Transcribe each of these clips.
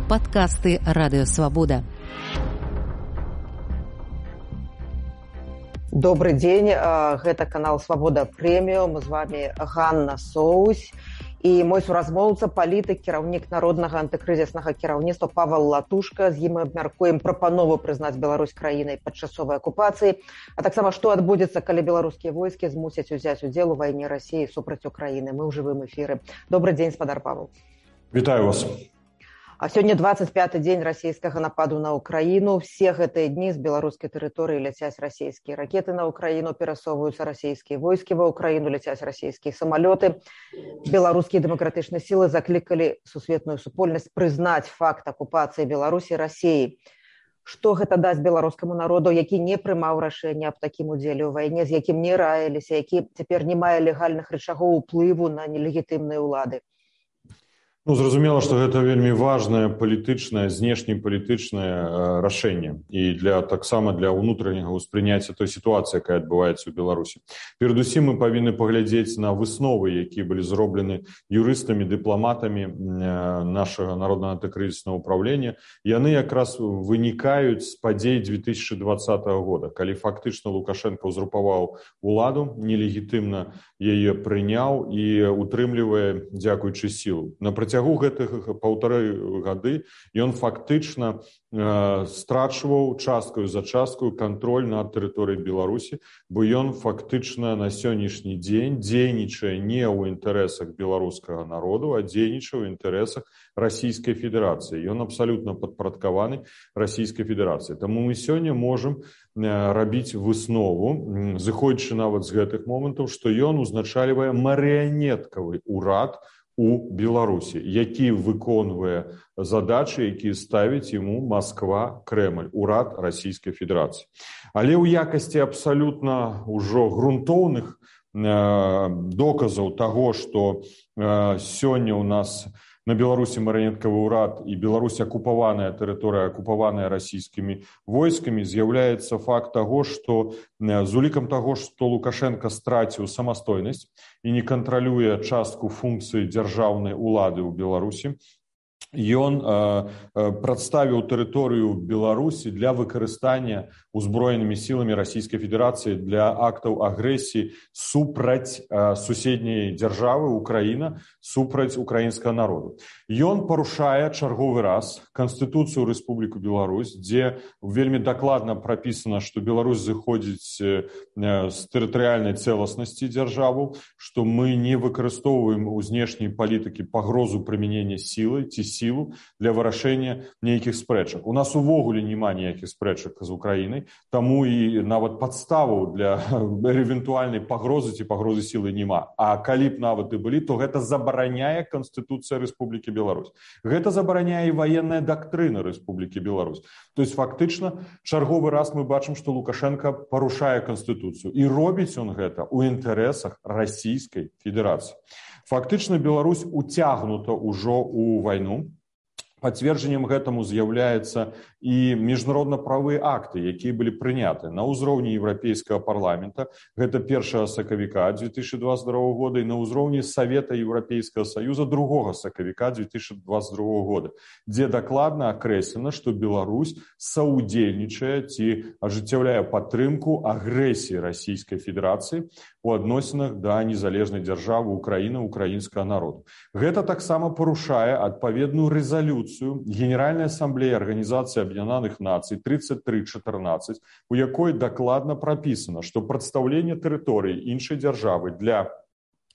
Падкасты Радыёвабода. Добрый дзень, гэта канал Свабода Прэміум, з вами Ганна Соусь і мой суразмоўца, палітык, кіраўнік народнага антыкрызіснага кіраўніцтва Павел Латушка. З ім мы абмяркуем прапанову прызнаць Беларусь краінай падчасовай акупацыі, а таксама што адбудзецца, калі беларускія войскі змусяць узяць удзел у вайне Расіі супраць Украіны. Мы ў жывым эфіры. Добрый дзень, спадар Павел. Вітаю вас. А сёння 25-й дзень расійскага нападу на Украіну. Все гэтыя дні з беларускай тэрыторыі ляцяць расійскія ракеты на Украіну, перасоўваюцца расійскія войскі ва Украіну, ляцяць расійскія самалёты. Беларускія дэмакратычныя сілы заклікалі сусветную супольнасць прызнаць факт акупацыі Беларусі Расіяй. Што гэта дасць беларускаму народу, які не прымаў рашэння аб такім удзеле ў вайне, з якім не раіліся, які цяпер не мае легальных рычагоў уплыву на нелегітымныя ўлады? Зразумела, што гэта вельмі важнае палітычнае, знешнепалітычнае рашэнне і таксама для ўнутранняга ўспрыняцця той сітуацыі, якая адбываецца ў Беларусі. Перадусім мы павінны паглядзець на высновы, якія былі зроблены юрыстамі, дыпламатамі нашага народнага антыкрызіснага ўпраўлення. Яны якраз вынікаюць з падзей 2020 года, калі фактычна Лукашенко ўзурпаваў уладу, нелегітымна яе прыняў і утрымлівае, дзякуючы сілу. На працягу гэтых 1,5 гады ён фактычна страчваў часткаю за часткаю кантроль над тэрыторыяй Беларусі, бо ён фактычна на сённяшні дзень дзейнічае не ў інтарэсах беларускага народу, а дзейнічае ў інтарэсах Расійскай Федэрацыі. Ён абсалютна падпарадкаваны Расійскай Федэрацыі. Таму мы сёння можам рабіць выснову, зыходзячы нават з гэтых момантаў, што ён узначальвае марыянеткавы ўрад у Беларусі, які выконвае задачы, якія ставіць яму Масква, Крэмль, урад Расійскай Федэрацыі. Але ў якасці абсалютна ўжо грунтоўных доказаў таго, што сёння ў нас на Беларусі марыянеткавы ўрад і Беларусь акупаваная тэрыторыя, акупаваная расійскімі войскамі, з'яўляецца факт таго, што з улікам таго, што Лукашенко страціў самастойнасць і не кантралюе частку функцыі дзяржаўнай улады ў Беларусі, ён прадставіў тэрыторыю Беларусі для выкарыстання узброенымі сіламі Расійскай Федэрацыі для актаў агрэсіі супраць суседняй дзяржавы Украіна, супраць украінскага народу. Ён парушае чарговы раз Канстытуцыю Рэспубліку Беларусь, дзе вельмі дакладна прапісана, што Беларусь зыходзіць з тэрытарыяльнай цэласнасці дзяржаву, што мы не выкарыстоўваем у знешняй палітыкі пагрозу прымянення сілы ці сілу для вырашэння нейкіх спрэчак. У нас увогуле няма ніякіх спрэчак з Украінай, таму і нават падставаў для эвентуальнай пагрозы ці пагрозы сілы няма. А калі б нават і былі, то гэта забараняе Канстытуцыя Рэспублікі Беларусь. Гэта забараняе і ваенная дактрына Рэспублікі Беларусь. То есть фактычна чарговы раз мы бачым, што Лукашенко парушае Канстытуцыю. І робіць ён гэта ў інтарэсах Расійскай Федэрацыі. Фактычна Беларусь уцягнута ўжо ў вайну. Пацверджаннем гэтаму з'яўляецца і міжнародна-правыя акты, якія былі прыняты на ўзроўні Еўрапейскага парламента, гэта 1 сакавіка 2022 года, і на ўзроўні Савета Еўрапейскага Саюза 2 сакавіка 2022 года, дзе дакладна акрэслена, што Беларусь саўдзельнічае ці ажыццяўляе падтрымку агрэсіі Расійскай Федэрацыі у адносінах да незалежнай дзяржавы Украіны, украінскага народу. Гэта таксама парушае адпаведную рэзалюцыю Генеральной Ассамблеи Организации Объединенных Наций 3314, у якой дакладна прапісана, што прадстаўленне тэрыторыі іншай дзяржавы для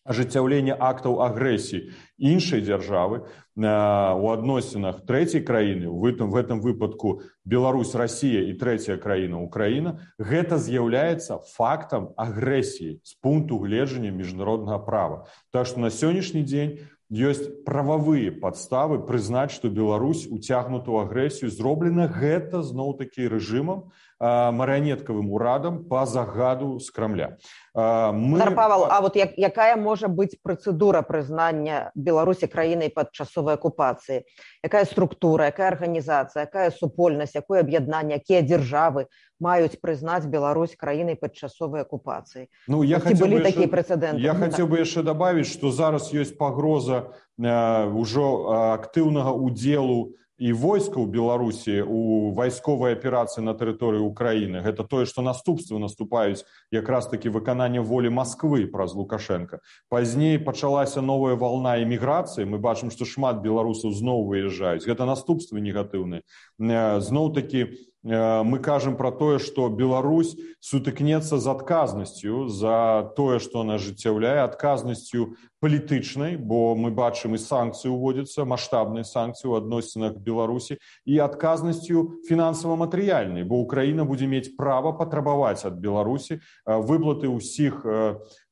ажыццяўлення актаў агрэсіі іншай дзяржавы у адносінах трэцяй краіны, в этом выпадку Беларусь, Расія і трэцяя краіна Украіна, гэта з'яўляецца фактам агрэсіі з пункту гледжання міжнароднага права. Так што на сённяшні дзень ёсць прававыя падставы прызнаць, што Беларусь уцягнута ў агрэсію. Зроблена гэта зноў-такі рэжымам, марыянеткавым урадам па загаду з Крамля. Павел, а вот якая можа быць працэдура прызнання Беларусі краінай падчасовай акупацыі? Якая структура, якая арганізацыя, якая супольнасць, якое аб'яднанне, якія дзяржавы маюць прызнаць Беларусь краінай падчасовай акупацыі? Былі такія прэцэдэнты? Я хацеў бы яшчэ дабавіць, што зараз ёсць пагроза ўжо актыўнага ўдзелу і войска ў Беларусі у вайсковай аперацыі на тэрыторыі Украіны. Гэта тое, што наступствы наступаюць якраз такі выканання волі Масквы праз Лукашенка. Пазней пачалася новая вална эміграцыі. Мы бачым, што шмат беларусаў зноў выязджаюць. Гэта наступствы негатыўныя. Зноў-такі мы кажам пра тое, што Беларусь сутыкнецца з адказнасцю за тое, што она ажыццяўляе, адказнасцю палітычнай, бо мы бачым і санкцыі ўводзяцца, маштабныя санкцыі ў адносінах Беларусі, і адказнасцю фінансава-матэрыяльнай, бо Украіна будзе мець права патрабаваць ад Беларусі выплаты ўсіх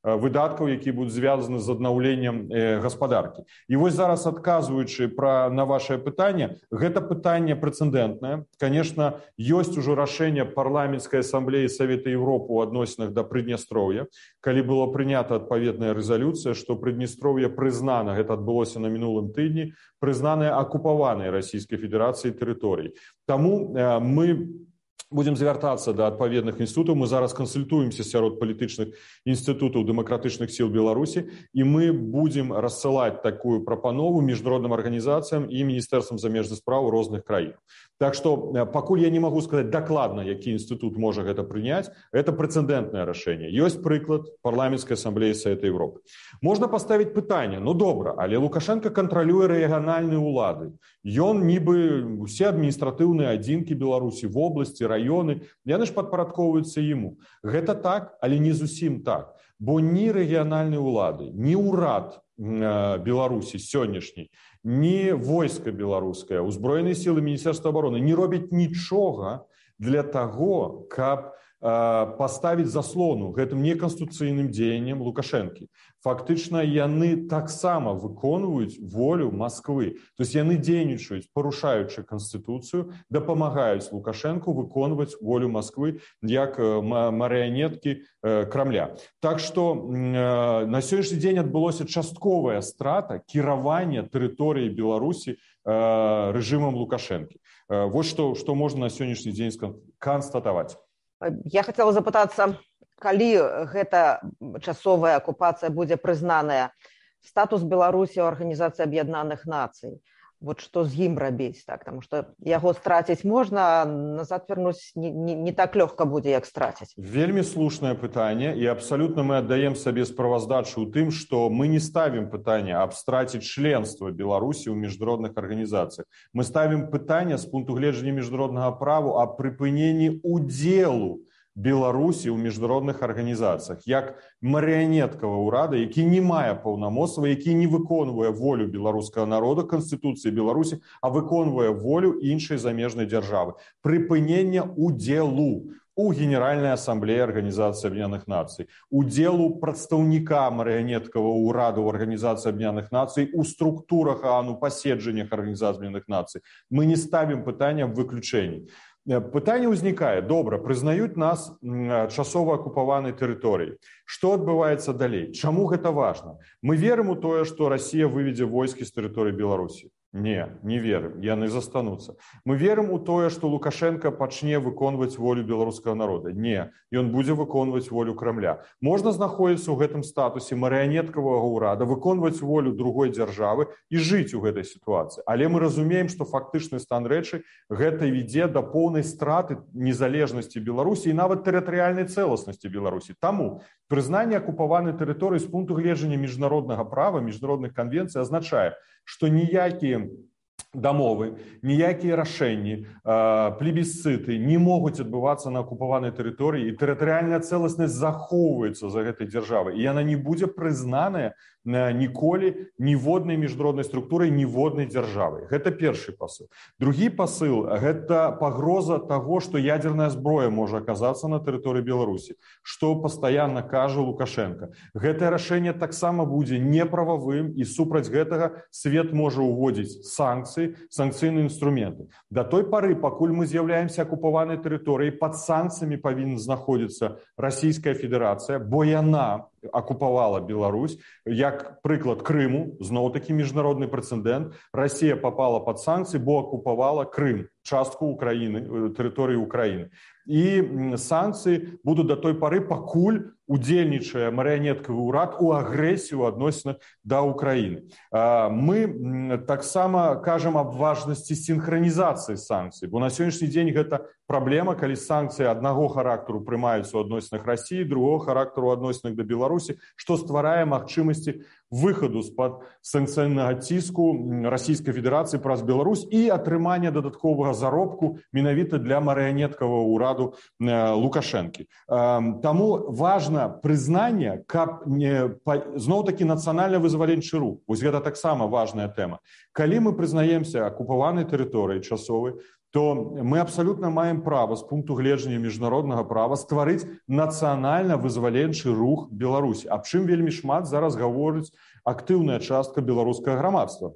выдаткаў, якія будуць звязаны з аднаўленнем гаспадаркі. І вось зараз, адказваючы на вашае пытанне, гэта пытанне прэцэдэнтнае. Конечно, ёсць ужо рашэнне парламенцкай асамблеі Савета Европы ў адносінах да Прыднястроўя, калі была прынята адпаведная рэзалюцыя, што Прыднястроўе прызнана, гэта адбылося на мінулым тыдні, прызнанае акупаванай Расійскай Федэрацыі тэрыторый. Таму мы будем звяртацца да адпаведных інстытутаў. Мы зараз кансультуемся сярод палітычных інстытутаў дэмакратычных сіл Беларусі, і мы будем рассылаць такую прапанову міжнародным арганізацыям і міністэрствам замежных спраў розных краін. Так што пакуль я не магу сказаць дакладна, які інстытут можа гэта прыняць, гэта прэцэдэнтнае рашэнне. Ёсць прыклад парламенцкай асамблеі Савета Европы. Можна паставіць пытанне: ну добра, але Лукашенко кантралюе рэгіянальныя ўлады. Ён нібы усе адміністратыўныя адзінкі Беларусі, вобласці, раёны, яны ж падпарадкоўваюцца яму. Гэта так, але не зусім так. Бо ні рэгіянальныя ўлады, ні ўрад Беларусі сённяшняй, ні войска беларускае, узброеныя сілы Міністэрства абароны не робяць нічога для таго, каб паставіць заслону гэтым неканстытуцыйным дзеянням Лукашэнкі. Фактычна яны таксама выконваюць волю Масквы. То есть яны дзейнічаюць, парушаючы Канстытуцыю, дапамагаюць Лукашэнку выконваць волю Масквы як марыянеткі Крамля. Так што на сённяшні дзень адбылося частковая страта кіравання тэрыторыі Беларусі рэжымам Лукашэнкі. Вось што можна на сённяшні дзень канстатаваць. Я хацела запытацца, калі гэта часовая акупацыя будзе прызнаная, статус Беларусі ў Арганізацыі Аб'яднаных Нацый, вот што з ім рабіць, так, таму што яго страціць можна, а назад вярнуць не так лёгка будзе, як страціць. Вельмі слушнае пытанне, і абсалютна мы аддаем сабе справаздачу ў тым, што мы не ставім пытанне аб страціць членства Беларусі ў міжнародных арганізацыях. Мы ставім пытанне з пункту гледжання міжнароднага права аб прыпыненні удзелу Беларусі ў міжнародных арганізацыях, як марыянеткавага ўрада, які не мае паўнамоцтва, які не выконвае волю беларускага народа, Канстытуцыі Беларусі, а выконвае волю іншай замежнай дзяржавы. Прыпынення удзелу у Генеральнай асамблеі Арганізацыі Аб'яднаных Нацый, удзелу прадстаўніка марыянеткавага ўрада ў Арганізацыі Аб'яднаных Нацый у структурах АНУ, паседжаннях Арганізацыі Аб'яднаных Нацый. Мы не ставім пытання аб выключэнні. Пытанне ўзнікае: добра, прызнаюць нас часова акупаванай тэрыторыяй. Што адбываецца далей? Чаму гэта важна? Мы верым у тое, што Расія выведзе войскі з тэрыторыі Беларусі? Не верым, яны застануцца. Мы верым у тое, што Лукашенко пачне выконваць волю беларускага народа? Не, ён будзе выконваць волю Крамля. Можна знаходзіцца ў гэтым статусе марыянеткавага ўрада, выконваць волю другой дзяржавы і жыць у гэтай сітуацыі. Але мы разумеем, што фактычны стан рэчы гэта вядзе да поўнай страты незалежнасці Беларусі і нават тэрытарыяльнай цэласнасці Беларусі. Таму прызнанне акупаванай тэрыторыі з пункту гледжання міжнароднага права, міжнародных канвенцый азначае, што ніякія дамовы, ніякія рашэнні, плебісцыты не могуць адбывацца на акупаванай тэрыторыі, і тэрытарыяльная цэласнасць захоўваецца за гэтай дзяржавай, і яна не будзе прызнаная ніколі ніводнай міжнароднай структурай, ніводнай дзяржавай. Гэта першы пасыл. Другі пасыл – гэта пагроза таго, што ядзерная зброя можа аказацца на тэрыторыі Беларусі, што пастаянна кажа Лукашенко. Гэтае рашэнне таксама будзе неправавым, і супраць гэтага свет можа ўводзіць санкцыйныя інструменты. Да той пары, пакуль мы з'яўляемся акупаванай тэрыторыяй, пад санкцыямі павінна знаходзіцца Расійская Федэрацыя, бо яна акупавала Беларусь, як прыклад Крыму, зноў-такі міжнародны прэцэдэнт. Расія попала под санкцыі, бо акупавала Крым, частку Украіны, тэрыторыі Украіны. І санкцыі будуць да той пары, пакуль удзельнічае марыянеткавы ўрад у агрэсію адносінах да Украіны. Мы таксама кажам аб важнасці сінхранізацыі санкцый, бо на сённяшні дзень гэта праблема, калі санкцыі аднаго характару прымаюцца ў адносінах Расіі, другого характару ў адносінах да Беларусі, што стварае магчымасці выхаду з-пад санкцыйнага ціску Расійскай Федэрацыі праз Беларусь і атрымання дадатковага заробку менавіта для марыянеткавага ўраду Лукашэнкі. Таму важна прызнанне, каб зноў-такі нацыянальна-вызваленчы рух. Вось гэта таксама важная тэма. Калі мы прызнаемся акупаванай тэрыторыі часовай, то мы абсалютна маем права з пункту гледжання міжнароднага права стварыць нацыянальна-вызваленчы рух Беларусі. Аб чым вельмі шмат зараз гаворыць актыўная частка беларускага грамадства.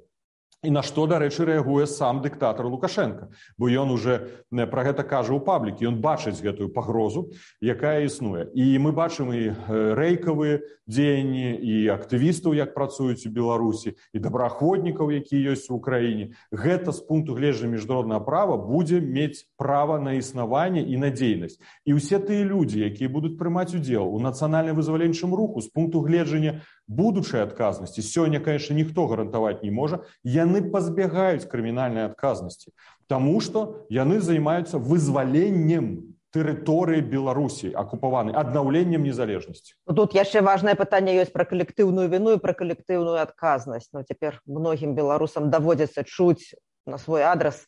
І на што, дарэчы, рэагуе сам дыктатар Лукашенко, бо ён уже пра гэта кажа ў паблікі, ён бачыць гэтую пагрозу, якая існуе. І мы бачым і рэйкавыя дзеянні, і актывістаў, як працуюць у Беларусі, і добраахвотнікаў, якія ёсць у Украіне. Гэта з пункту гледжання міжнароднага права будзе мець права на існаванне і на дзейнасць. І ўсе тыя людзі, якія будуць прымаць удзел у нацыянальна-вызваленчым руху з пункту гледжання будучай адказнасці, сёння, конечно, ніхто гарантаваць не можа, яны пазбягаюць крымінальнай адказнасці, таму што яны займаюцца вызваленнем тэрыторыі Беларусі акупаванай, аднаўленнем незалежнасці. Тут яшчэ важнае пытанне ёсць пра калектыўную віну і пра калектыўную адказнасць. Цяпер многім беларусам даводзіцца чуць на свой адрас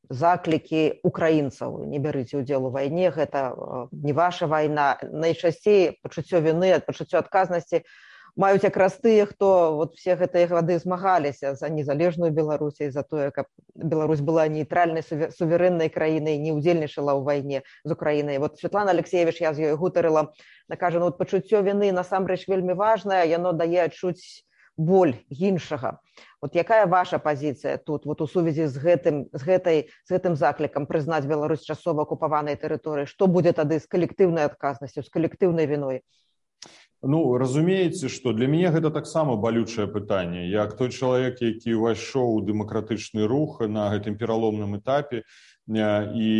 заклікі украінцаў: не бярыце ўдзел у вайне, гэта не ваша вайна. Найчасцей пачуццё віны, пачуццё адказнасці маюць якраз тыя, хто все гэтыя гады змагаліся за незалежную Беларусь і за тое, каб Беларусь была нейтральнай суверэннай краінай, не ўдзельнічала ў вайне з Украінай. Светлана Алексеевич, я з ёй гутарыла, кажа, пачуццё віны насамрэч вельмі важнае, яно дае адчуць боль іншага. Якая ваша пазіцыя тут у сувязі з гэтым заклікам прызнаць Беларусь часова акупаванай тэрыторыі? Што будзе тады з калектыўнай адказнасцю, з калектыўнай віной? Разумееце, што для мяне гэта таксама балючае пытанне. Як той чалавек, які ўвайшоў у дэмакратычны рух на гэтым пераломным этапе і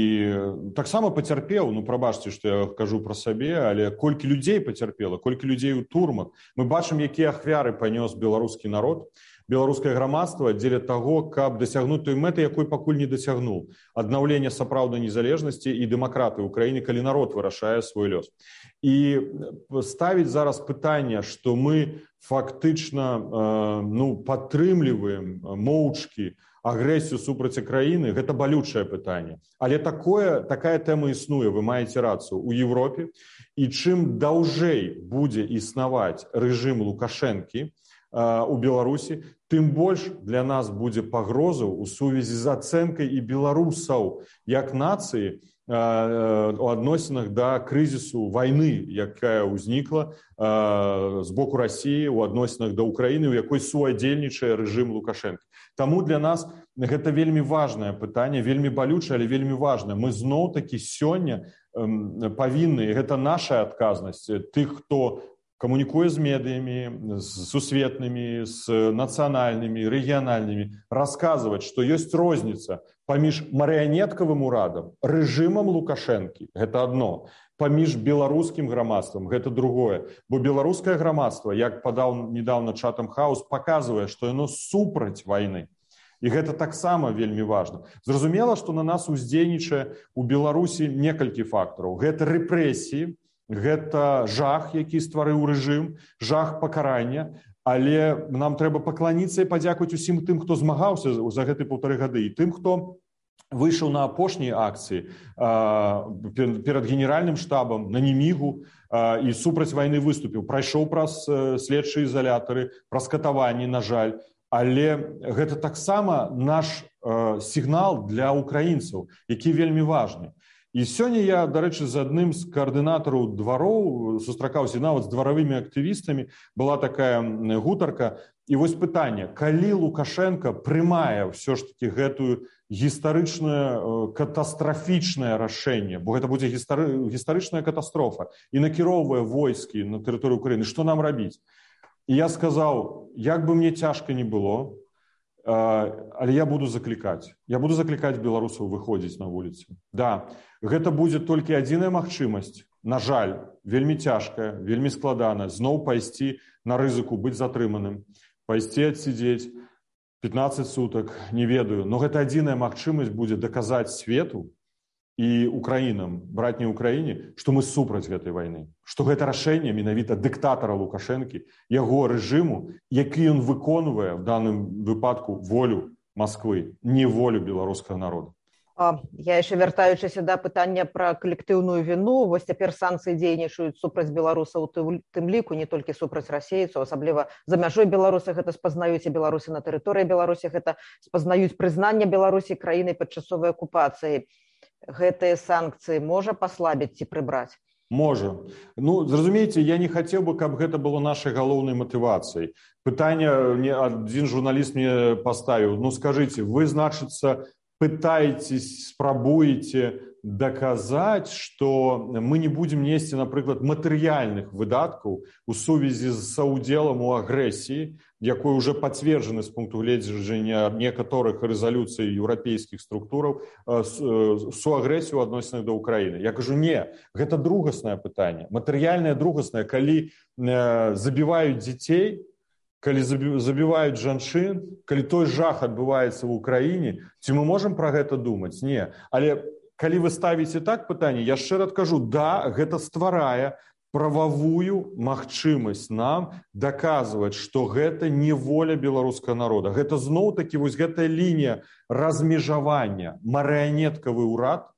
таксама пацярпеў, прабачце, што я кажу пра сабе, але колькі людзей пацярпела, колькі людзей у турмах. Мы бачым, якія ахвяры панёс беларускі народ, беларускае грамадства дзеля таго, каб дасягнуць той мэты, якой пакуль не дасягнуў. Аднаўлення сапраўднай незалежнасці і дэмакратыі ў краіне, калі народ вырашае свой лёс. І ставіць зараз пытанне, што мы фактычна падтрымліваем моўчкі агрэсію супраць краіны, гэта балючае пытанне. Але такая тэма існуе, вы маеце рацыю, у Европе. І чым даўжэй будзе існаваць рэжым Лукашэнкі у Беларусі, тым больш для нас будзе пагрозаў у сувязі з ацэнкай і беларусаў як нацыі у адносінах да крызісу вайны, якая ўзнікла з боку Расіі у адносінах да Украіны, у якой суадзельнічае рэжым Лукашэнкі. Таму для нас гэта вельмі важнае пытанне, вельмі балючае, але вельмі важнае. Мы зноў-такі сёння павінны, гэта наша адказнасць, тых, хто камунікуе з медыямі, з сусветнымі, з нацыянальнымі, рэгіянальнымі, расказваць, што ёсць розніца паміж марыянеткавым урадам, рэжымам Лукашэнкі, гэта адно, паміж беларускім грамадствам, гэта другое. Бо беларускае грамадства, як падаў недавно Chatham House, паказвае, што яно супраць вайны. І гэта таксама вельмі важна. Зразумела, што на нас уздзейнічае у Беларусі некалькі фактараў. Гэта рэпрэсіі, гэта жах, які стварыў рэжым, жах пакарання, але нам трэба пакланіцца і падзякаваць усім тым, хто змагаўся за гэты 1,5 гады, і тым, хто выйшаў на апошнія акцыі перад генеральным штабам, на Немігу і супраць вайны выступіў, прайшоў праз следчыя ізалятары, праз катаванні, на жаль. Але гэта таксама наш сігнал для украінцаў, які вельмі важны. І сёння я, дарэчы, з адным з каардынатараў двароў сустракаўся нават з дваравымі актывістамі, была такая гутарка. І вось пытанне, калі Лукашенко прымае ўсё ж такі гэтую гістарычнае катастрафічнае рашэнне, бо гэта будзе гістарычная катастрофа, і накіроўвае войскі на тэрыторыю Украіны, што нам рабіць? І я сказаў, як бы мне цяжка не было, але я буду заклікаць беларусаў выходзіць на вуліцы. Да, гэта будзе толькі адзіная магчымасць, на жаль, вельмі цяжкая, вельмі складана, зноў пайсці на рызыку быць затрыманым, пайсці адсидзець 15 сутак, не ведаю, но гэта адзіная магчымасць будзе даказаць свету і украінам, братняй Украіне, што мы супраць гэтай вайны, што гэта рашэнне менавіта дыктатара Лукашэнкі, яго рэжыму, які ён выконвае в данным выпадку волю Москвы, не волю беларускага народа. Я яшчэ вяртаючыся да пытання пра калектыўную віну, вось цяпер санкцыі дзейнічаюць супраць беларусаў, тым ліку не толькі супраць расейцаў, асабліва за мяжой Беларуси гэта спазнаюць, і беларусы на тэрыторыі Беларусі гэта спазнаюць прызнанне Беларусі краінай падчасовай акупацыі. Гэтыя санкцыі можа паслабіць ці прыбраць? Можа. Ну, зразумееце, я не хацеў бы, каб гэта было нашай галоўнай матывацыяй. Пытанне адзін журналіст мне паставіў, ну скажыце, вы, значыцца, пытаетесь, спрабуеце даказаць, што мы не будзем несці, напрыклад, матэрыяльных выдаткаў у сувязі з саўдзелам у агрэсіі, якой уже пацверджаны з пункту гледжання некаторых рэзалюцый еўрапейскіх структураў суагрэсію ў адносінах да Ўкраіны. Я кажу, не, гэта другаснае пытанне. Матэрыяльнае другаснае, калі забіваюць дзяцей, калі забіваюць жанчын, калі той жах адбываецца ў Украіне, ці мы можам пра гэта думаць? Не. Але калі вы ставіце так пытанне, я шчыра адкажу, да, гэта стварае прававую магчымасць нам даказваць, што гэта не воля беларускага народа. Гэта зноў-такі вось гэтая лінія размежавання, марыянеткавы ўрад,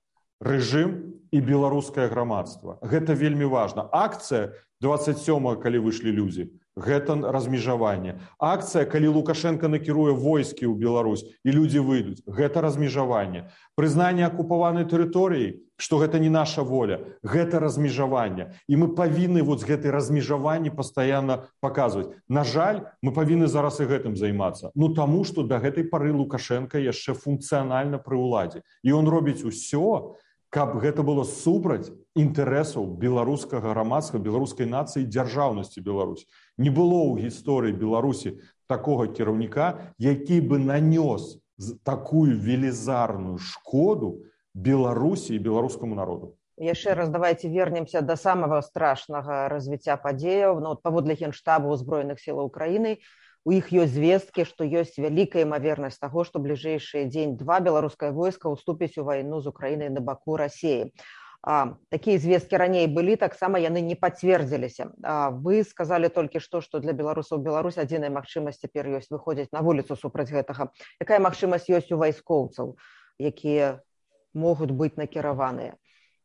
рэжым і беларускае грамадства. Гэта вельмі важна. Акцыя 27-го, калі выйшлі людзі, гэта размежаванне. Акцыя, калі Лукашенко накіруе войскі ў Беларусь і людзі выйдуць, гэта размежаванне. Прызнанне акупаванай тэрыторыі, што гэта не наша воля, гэта размежаванне. І мы павінны вот з гэтай размежаванні пастаянна паказваць. На жаль, мы павінны зараз і гэтым займацца. Ну таму, што да гэтай пары Лукашенко яшчэ функцыянальна пры ўладзе. І ён робіць усё, каб гэта было супраць інтарэсаў беларускага грамадства, беларускай нацыі, дзяржаўнасці Беларусі. Не было ў гісторыі Беларусі такога кіраўніка, які бы нанёс такую велізарную шкоду Беларусі і беларускаму народу. Яшчэ раз давайте вернемся да самага страшнага развіцця падзеяў. Ну, паводле Генштабу Збройных сілаў Украіны, у іх ёсць звесткі, што ёсць вялікая імавернасць таго, што бліжэйшыя дзень-два беларускае войска ўступіць у вайну з Украінай на баку Расіі. Такія звесткі раней былі, таксама яны не пацвердзіліся. Вы сказалі толькі што для беларусаў Беларусь адзіная магчымасць цяпер ёсць выходзіць на вуліцу супраць гэтага. Якая магчымасць ёсць у вайскоўцаў, якія могуць быць накіраваныя?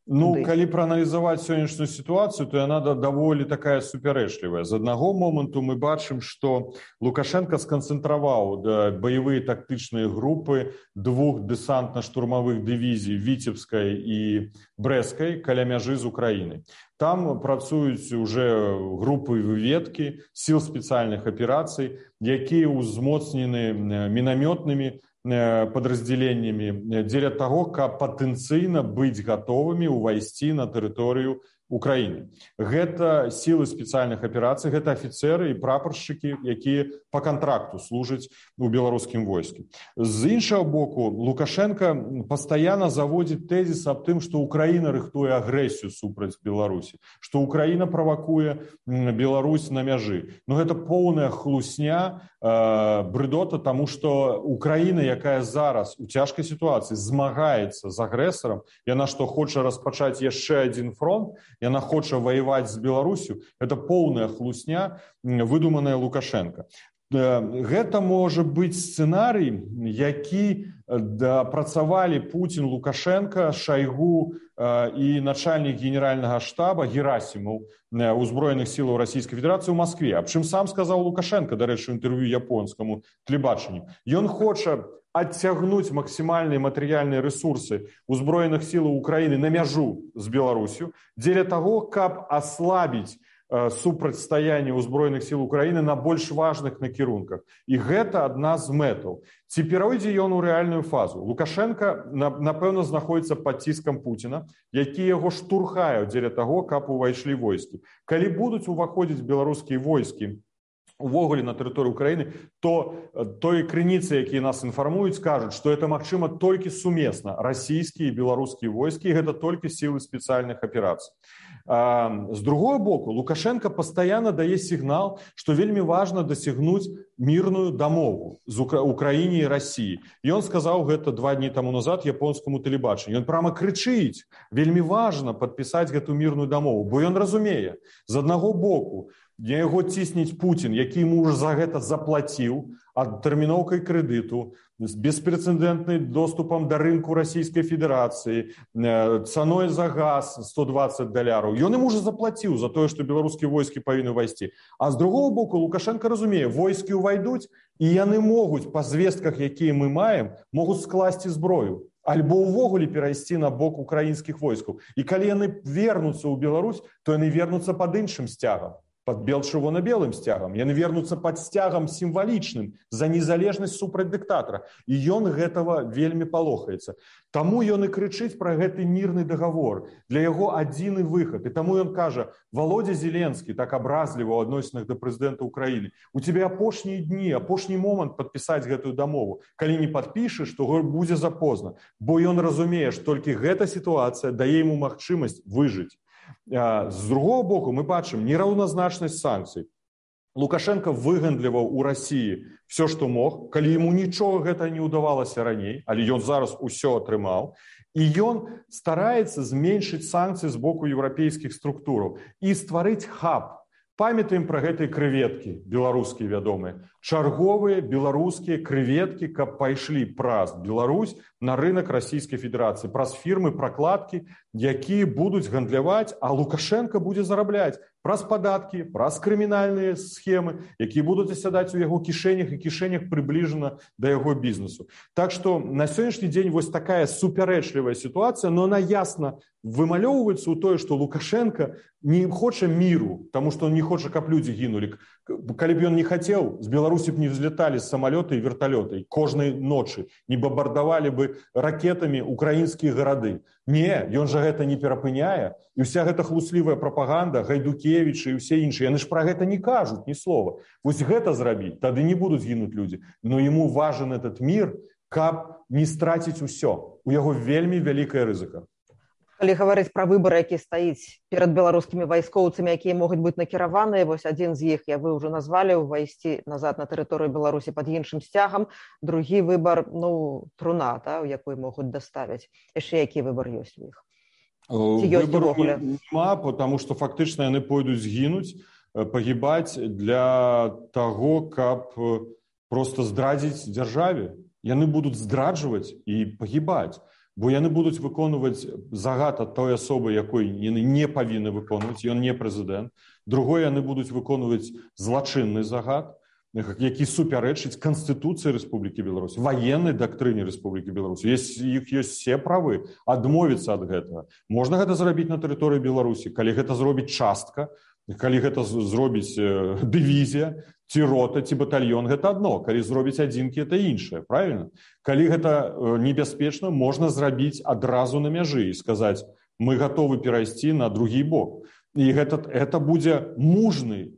Ну, калі прааналізаваць сённяшнюю сітуацыю, то яна даволі такая супярэчлівая. З аднаго моманту мы бачым, што Лукашенко сканцэнтраваў баявыя тактычныя групы двух дэсантна-штурмавых дывізій Віцебскай і Брэскай каля мяжы з Украінай. Там працуюць уже групы выведкі сіл спецыяльных аперацый, якія ўзмоцнены мінамётнымі подразделениями дзеля таго, каб патэнцыйна быць гатовымі ўвайсці на тэрыторыю Украіны. Гэта сілы спецыяльных аперацый, гэта афіцеры і прапаршчыкі, якія па кантракту служаць у беларускім войску. З іншага боку, Лукашенко пастаянна заводзіць тэзіс аб тым, што Украіна рыхтуе агрэсію супраць Беларусі, што Украіна правакуе Беларусь на мяжы. Но гэта поўная хлусня, брыдота, таму што Украіна, якая зараз у цяжкай сітуацыі змагаецца з агрэсарам, яна што хоча распачаць яшчэ адзін фронт, яна хоча ваяваць з Беларусю, гэта поўная хлусня, выдуманая Лукашенко. Гэта можа быць сцэнарый, які працавалі Путин, Лукашенко, Шойгу и начальник генерального штаба Герасимов узброеных сил Российской Федерации в Москве. Аб чым сам сказал Лукашенко, до речі, в интервью японскому телебаченню. Ён хоча оттягнуть максимальные материальные ресурсы узброеных сил Украины на мяжу с Беларусью для того, каб ослабить супрацьстаянне ўзброеных сил Украины на больш важных накірунках. І гэта адна з мэтаў. Ці перайдзе ён у рэальную фазу? Лукашенко, напэўна, знаходзіцца пад ціскам Пуціна, які яго штурхае дзеля таго, каб увайшлі войскі. Калі будуць уваходзіць беларускія войскі увогуле на тэрыторыю Украины, то той крыніцы, якія нас інфармуюць, кажуць, што это магчыма толькі сумесна расійскія і беларускія войскі, і гэта толькі сілы спецыяльных аперацый. С другого боку, Лукашенко постоянно дае сигнал, что вельмі важно досягнуть мирную дамову з Украине и России. И он сказал гэта 2 дні тому назад японскому телебаченню. Он прямо кричить, вельмі важно подписать гэту мирную дамову, бо он разумее, з одного боку, на яго цісніць Путін, які ему уже за гэта заплатіў адтэрміноўкай крэдыту, з беспрэцэдэнтным доступам да рынку Расійскай Федэрацыі, цаной за газ $120. Ён ему уже заплатіў за тое, што беларускія войскі павінны ўвайсці. А з другого боку, Лукашенко разумее, войскі ўвайдуць, і яны могуць, па звестках, якія мы маем, могуць скласці зброю. Альбо ўвогуле перайсці на бок украінскіх войскаў. І калі яны вернуцца ў Беларусь, то яны вернуцца пад іншым сцягам. Под чырвона-белым сцягам. Яны вернуцца пад сцягам сімвалічным за незалежнасць супраць дыктатара. І ён гэтага вельмі палохаецца. Таму ён і крычыць пра гэты мірны дагавор. Для яго адзіны выхад. І таму ён кажа, Володя Зеленскі, так абразліва ў адносінах да прэзідэнта Украіны, у тебе апошнія дні, апошні момант падпісаць гэтую дамову. Калі не падпішаш, то будзе запозна. Бо ён разумее, што толькі гэта сітуацыя дае яму магчымасць выжыць. З другого боку, мы бачым нераўназначнасць санкцый. Лукашенко выгандліваў у России все, што мог, калі ему нічога гэта не ўдавалася раней, але ён зараз усё атрымаў, і ён стараецца зменшыць санкцыі з боку еўрапейскіх структураў і стварыць хаб. Памятаем пра гэтыя крэветкі беларускія вядомыя. Чарговыя беларускія крэветкі, каб пайшлі праз Беларусь на рынок Расійскай Федэрацыі, праз фірмы пракладкі, якія будуць гандляваць, а Лукашенко будзе зарабляць праз падаткі, праз крымінальныя схемы, якія будуць асядаць у яго кішэнях і кішэнях прыбліжана да яго бізнесу. Так што на сённяшні дзень вось такая супярэчлівая сітуацыя, но она ясна вымалёўваецца ў тое, што Лукашенко не хоча міру, таму што он не хоча, каб людзі гінулі. Калі б ён не хацеў, з Беларусі б не взлеталі самалёты і верталёты, кожнай ночы не бомбардавалі бы ракетамі украінскія гарады. Не, ён жа гэта не перапыняе, і ўся гэта хлуслівая прапаганда, Гайдукевічы і ўсе іншыя, яны ж пра гэта не кажуць ні слова. Вось гэта зрабіць, тады не будуць гінуць людзі. Но яму важен этот мір, каб не страціць усё. У яго вельмі вялікая рызыка. Калі гаварыць пра выбар, які стаіць перад беларускімі вайскоўцамі, якія могуць быць накіраваныя, вось адзін з іх, вы ўжо назвалі, увайсці назад на тэрыторыю Беларусі пад іншым сцягам, другі выбар, труна, у якой могуць даставіць. Яшчэ які выбар ёсць у іх? Выбару няма, потому што фактычна яны пойдуць згінуць, пагібаць для таго, каб проста здрадзіць дзяржаве. Яны будуць здраджваць і пагібаць. Бо яны будуць выконваць загад ад той асобы, якой яны не павінны выконваць, ён не прэзідэнт. Другое, яны будуць выконваць злачынны загад, які супярэчыць Канстытуцыі Рэспублікі Беларусь, ваеннай дактрыне Рэспублікі Беларусь. Іх ёсць все правы адмовіцца ад гэтага. Можна гэта зрабіць на тэрыторыі Беларусі, калі гэта зробіць частка, калі гэта зробіць дывізія, ці рота, ці батальён, гэта адно. Калі зробіць адзінкі, это іншае, правильно? Калі гэта небяспечна, можна зрабіць адразу на мяжы і сказаць, мы гатовы перайсці на другі бок. І гэта будзе мужны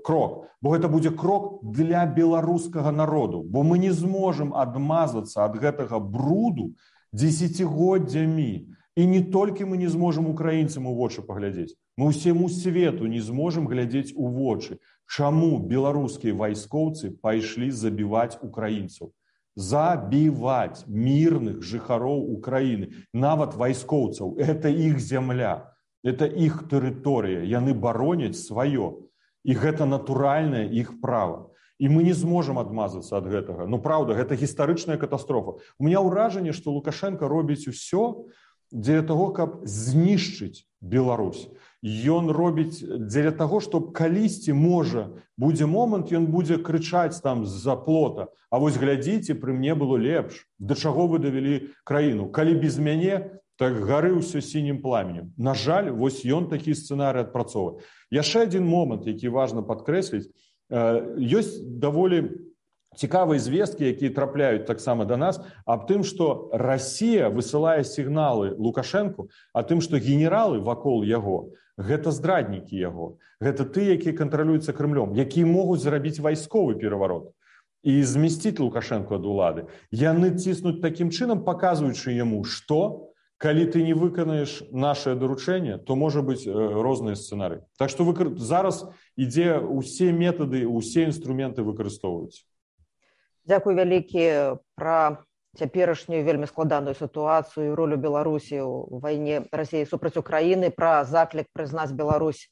крок, бо гэта будзе крок для беларускага народу, бо мы не зможам адмазацца ад гэтага бруду дзесяцігоддзямі. І не толькі мы не зможам украінцам у вочы паглядзець, мы ўсяму свету не зможам глядзець у вочы. Чаму беларускія вайскоўцы пайшлі забіваць украінцаў? Забіваць мірных жыхароў Украіны, нават вайскоўцаў. Это іх зямля, это іх тэрыторыя, яны бароняць сваё. І гэта натуральнае іх права. І мы не зможам адмазацца ад гэтага. Ну, праўда, гэта гістарычная катастрофа. У меня ўражанне, што Лукашенко робіць усё дзеля таго, каб знішчыць Беларусь. Ён робіць дзеля таго, што калісьці можа будзе момант, ён будзе крычаць там з-за плота: а вось глядзіце, пры мне было лепш. Да чаго вы давялі краіну? Калі без мяне, так гары ўсё сінім пламенем. На жаль, вось ён такі сцэнарый адпрацоўвае. Яшчэ адзін момант, які важна падкрэсліць, ёсць даволі цікавыя звесткі, якія трапляюць таксама да нас, аб тым, што Расія высылае сігналы Лукашэнку, а тым, што генералы вакол яго гэта здраднікі яго. Гэта тыя, якія кантралююцца Крымлём, якія могуць зрабіць вайсковы пераварот і змясціць Лукашэнку ад улады. Яны ціснуць такім чынам, паказваючы яму, што калі ты не выканаеш нашае даручэнне, то можа быць розныя сцэнарыі. Так што зараз ідзе ўсе метады, усе інструменты выкарыстоўваюць. Дзякуй вялікі пра цяперашнюю вельмі складаную сітуацыю і ролю Беларусі ў вайне Расіі супраць Украіны, пра заклік прызнаць Беларусь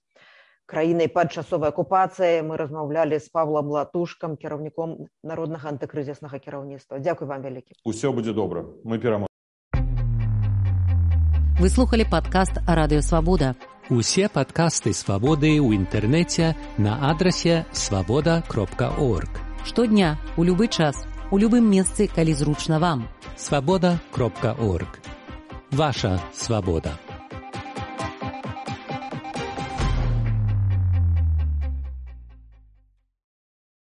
краінай пад часовай акупацыяй. Мы размаўлялі з Павлам Латушкам, кіраўніком народнага антыкрызіснага кіраўніцтва. Дзякуй вам вялікі. Усё будзе добра. Мы пераможам. Вы слухали падкаст Радыё Свабода. Усе падкасты Свабоды ў інтэрнэце на адрасе свабода.орг. Штодня, у любы час, у любым месцы, калі зручна вам. Свабода.орг. Ваша свабода.